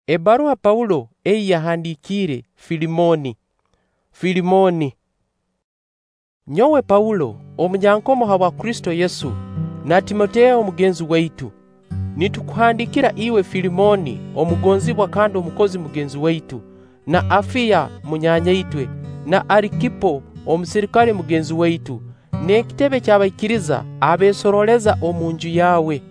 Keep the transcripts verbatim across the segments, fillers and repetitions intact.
Ebbaruha Paulo ei yahandikiire Filemooni. Filemooni. Nyowe Paulo, omunyankomo habwa Kristo Yesu, na Timoteyo mugenzi waitu, nitukuhandiikira iwe Filemooni omugonzibwa kandi omukozi mugenzi waitu, na Afiya munyaanya-itwe, na Arikipo omusirikale mugenzi waitu, n'ekitebe ky'abaikiriza abeesorooleza omunju yawe.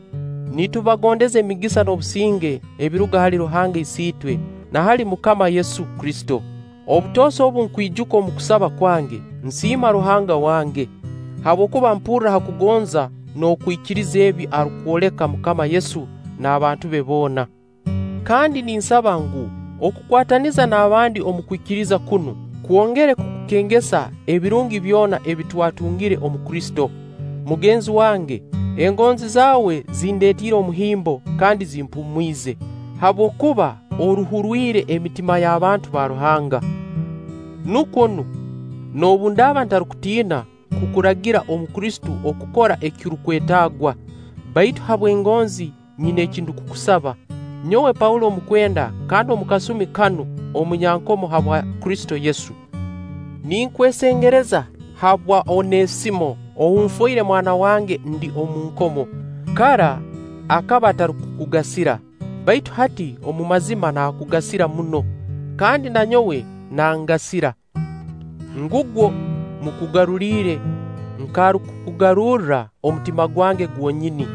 Nitubagondeza emigisa n'obusinge ebiruga hali Ruhanga Isiitwe na hali Mukama Yesu Kristo. Obutoosa obu nkwijuka omu kusaba kwange, nsiima Ruhanga wange, habwokuba mpurra ha kugonza n'okwikiriza ebi arukwoleka Mukama Yesu n'abantu be boona. Kandi ninsaba ngu okukwataniza n'abandi omu kwikiriza kunu kwongere kukukengesa ebirungi byona ebi twatungire omu Kristo. Mugenzi wange, engonzi zaawe zindeetiire omuhimbo kandi zimpumwize, habwokuba oruhurwire emitima y'abantu ba Ruhanga. Nukwo nu, noobu ndaaba ntarukutiina kukuragira omu Kristo okukora ekirukwetaagwa, baitu habw'engonzi nyina eki ndukukusaba. Nyowe Paulo omukwenda kandi omu kasumi kanu omunyankomo habwa Kristo Yesu. Ninkwesengereza habwa Onesimo ou nfoire mwana wange ndi omu nkomo. Kara akaba atarukukugasira, baitu hati omu mazima naakugasira muno, kandi na nyowe nangasira. Ngugwo mukugaruliire nk'arukukugarurra omutima gwange gwonyini.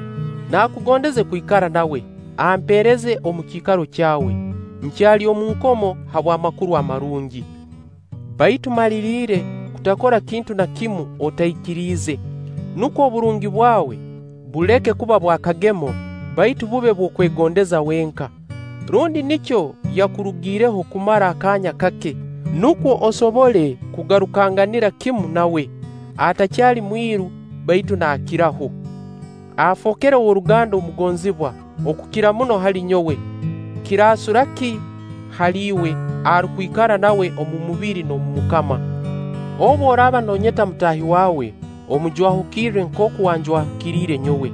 Naakugondeze kwikara nawe, ampeereze omu kiikaro kyawe, nkyali omu nkomo habw'amakuru amarungi. Baitu maliriire kutakora kintu na kimu otaikiriize, nukwo oburungi bwawe buleke kuba bw'akagemo, baitu bube bw'okwegondeza wenka. Rundi nikyo yakurugiireho kumara akaanya kake, nukwo osobole kugarukanganira kimu nawe, atakyali mwiru baitu naakiraho. Afookere ow'oruganda omugonzibwa okukira muno hali nyowe. Kiraasura ki hali iwe arukwikara nawe omu mubiri n'omu Mukama? Obu oraaba noonyeta mutaahi waawe, omujwahukirre nkooku wanjwahukiriire nyowe.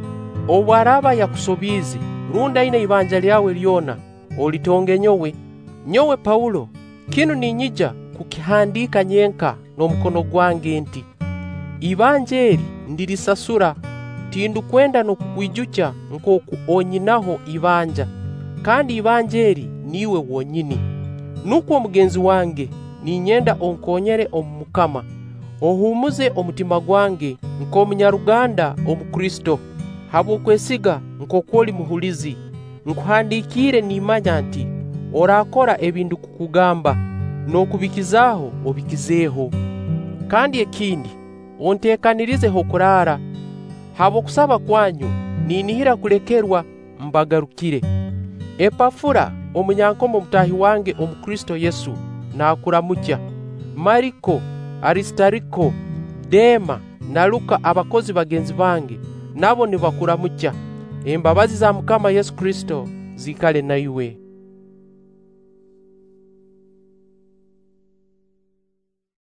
Obu araaba yakusobiize, rundi aina ibanja lyawe lyona, olitonge nyowe. Nyowe Paulo, kinu ninyija kukihandiika nyenka n'omukono gwange nti: Ibanja eri ndirisasura, tindukwenda n'okukwijukya nkooku onyinaho ibanja, kandi ibanja eri niiwe wonyini. Nukwo mugenzi wange, ninyenda onkoonyere omu Mukama, ohuumuze omutima gwange nk'omunyaruganda omu Kristo, habw'okwesiga nkooku oli muhulizi. Nkuhandikiire nimmanya nti oraakora ebi ndukukugamba, n'okubikizaaho obikizeeho. Kandi ekindi, onteekanirize h'okuraara. Habw'okusaba kwanyu ninihira kulekerwa mbagarukire. Epafura, omunyankomo mutaahi wange omu Kristo Yesu, naakuramukya. Mariko, Arisitariko, Deema na Luka abakozi bagenzi bange, nabo nibakuramukya. Embabazi za Mukama Yesu Kristo ziikale na iwe.